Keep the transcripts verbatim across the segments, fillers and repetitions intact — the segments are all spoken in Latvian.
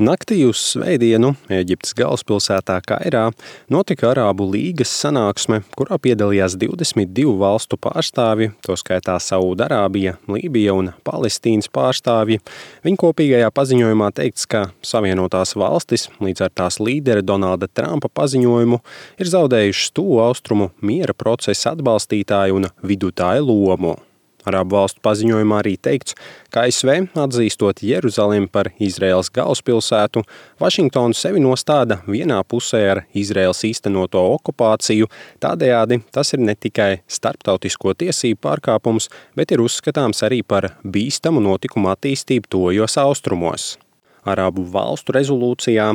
Naktī uz svētdienu Ēģiptes galvaspilsētā Kairā notika Arābu līgas sanāksme, kurā piedalījās divdesmit divu valstu pārstāvji, to skaitā Saūdarābija, Lībija un Palestīnas pārstāvji. Viņa kopīgajā paziņojumā teikts, ka Savienotās valstis līdz ar tās līdera Donalda Trumpa paziņojumu ir zaudējušas tuvu austrumu miera procesa atbalstītāju un vidutāju lomu. Arābu valstu paziņojumā arī teikts, ka A S V, atzīstot Jeruzalemi par Izraēlas galvaspilsētu, Vašingtonu sevi nostāda vienā pusē ar Izraēlas īstenoto okupāciju, tādējādi tas ir ne tikai starptautisko tiesību pārkāpums, bet ir uzskatāms arī par bīstamu notikumu attīstību tuvajos austrumos. Arābu valstu rezolūcijā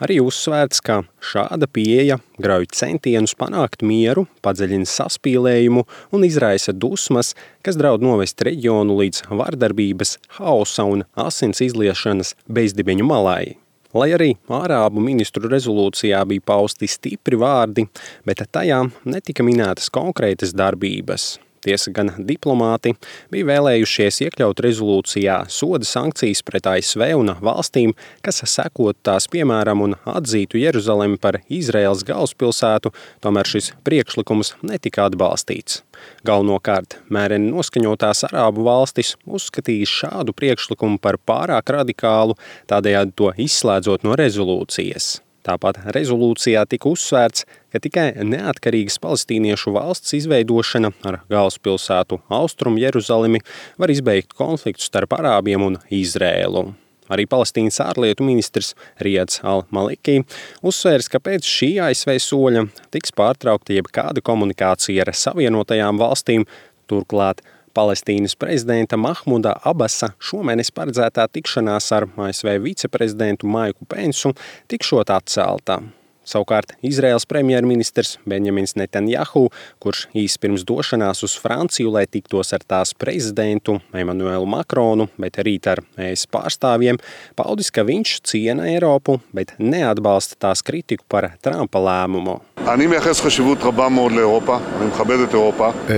arī uzsvērts, ka šāda pieeja grauj centienus panākt mieru, padziļina saspīlējumu un izraisa dusmas, kas draud novest reģionu līdz vardarbības, hausa un asins izliešanas bezdibeņu malai. Lai arī Arābu ministru rezolūcijā bija pausti stipri vārdi, bet tajā netika minētas konkrētas darbības. Tiesa gan diplomāti bija vēlējušies iekļaut rezolūcijā soda sankcijas pret A S V un valstīm, kas sekot tās piemēram un atzītu Jeruzalemi par Izraēlas galvaspilsētu, tomēr šis priekšlikums netika atbalstīts. Galvenokārt mēreni noskaņotās Arābu valstis uzskatīja šādu priekšlikumu par pārāk radikālu, tādējādi to izslēdzot no rezolūcijas. Tāpat rezolūcijā tika uzsvērts, ka tikai neatkarīgas palestīniešu valsts izveidošana ar galvaspilsētu Austrumu Jeruzalemi var izbeigt konfliktu starp arābiem un Izrēlu. Arī Palestīnas ārlietu ministrs Riads al-Maliki uzsvērs, ka pēc šī A S V soļa tiks pārtraukta jebkāda komunikācija ar Savienotajām valstīm, turklāt Palestīnas prezidenta Mahmuda Abasa šomēnes paredzētā tikšanās ar A S V viceprezidentu Maiku Pensu tikšot atcelta. Savukārt Izraēlas premjerministrs Benjamins Netanjahu, kurš īsi pirms došanās uz Franciju, lai tiktos ar tās prezidentu Emanuelu Makronu, bet rīt ar E S pārstāvjiem, paudis, ka viņš ciena Eiropu, bet neatbalsta tās kritiku par Trumpa lēmumu.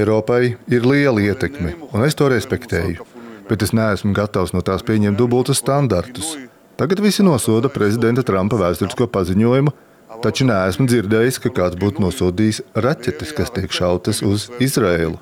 Eiropai ir liela ietekme, un es to respektēju, bet es neesmu gatavs no tās pieņemt dubultus standartus. Tagad visi nosoda prezidenta Trumpa vēsturisko paziņojumu, taču neesmu dzirdējis, ka kāds būtu nosodījis raķetes, kas tiek šautas uz Izraēlu.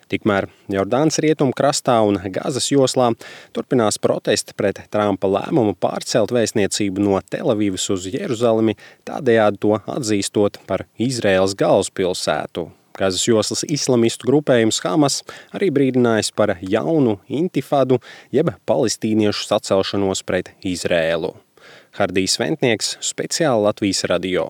Tikmēr Jordānas rietumu krastā un Gazas joslā turpinās protesti pret Trumpa lēmumu pārcelt vēstniecību no Telavivas uz Jeruzalemi, tādējādi to atzīstot par Izraēlas galvaspilsētu. Gazas joslas islamistu grupējums Hamas arī brīdinājis par jaunu intifadu, jeb palestīniešu sacelšanos pret Izraēlu. Hardijs Ventnieks, speciāli Latvijas radio.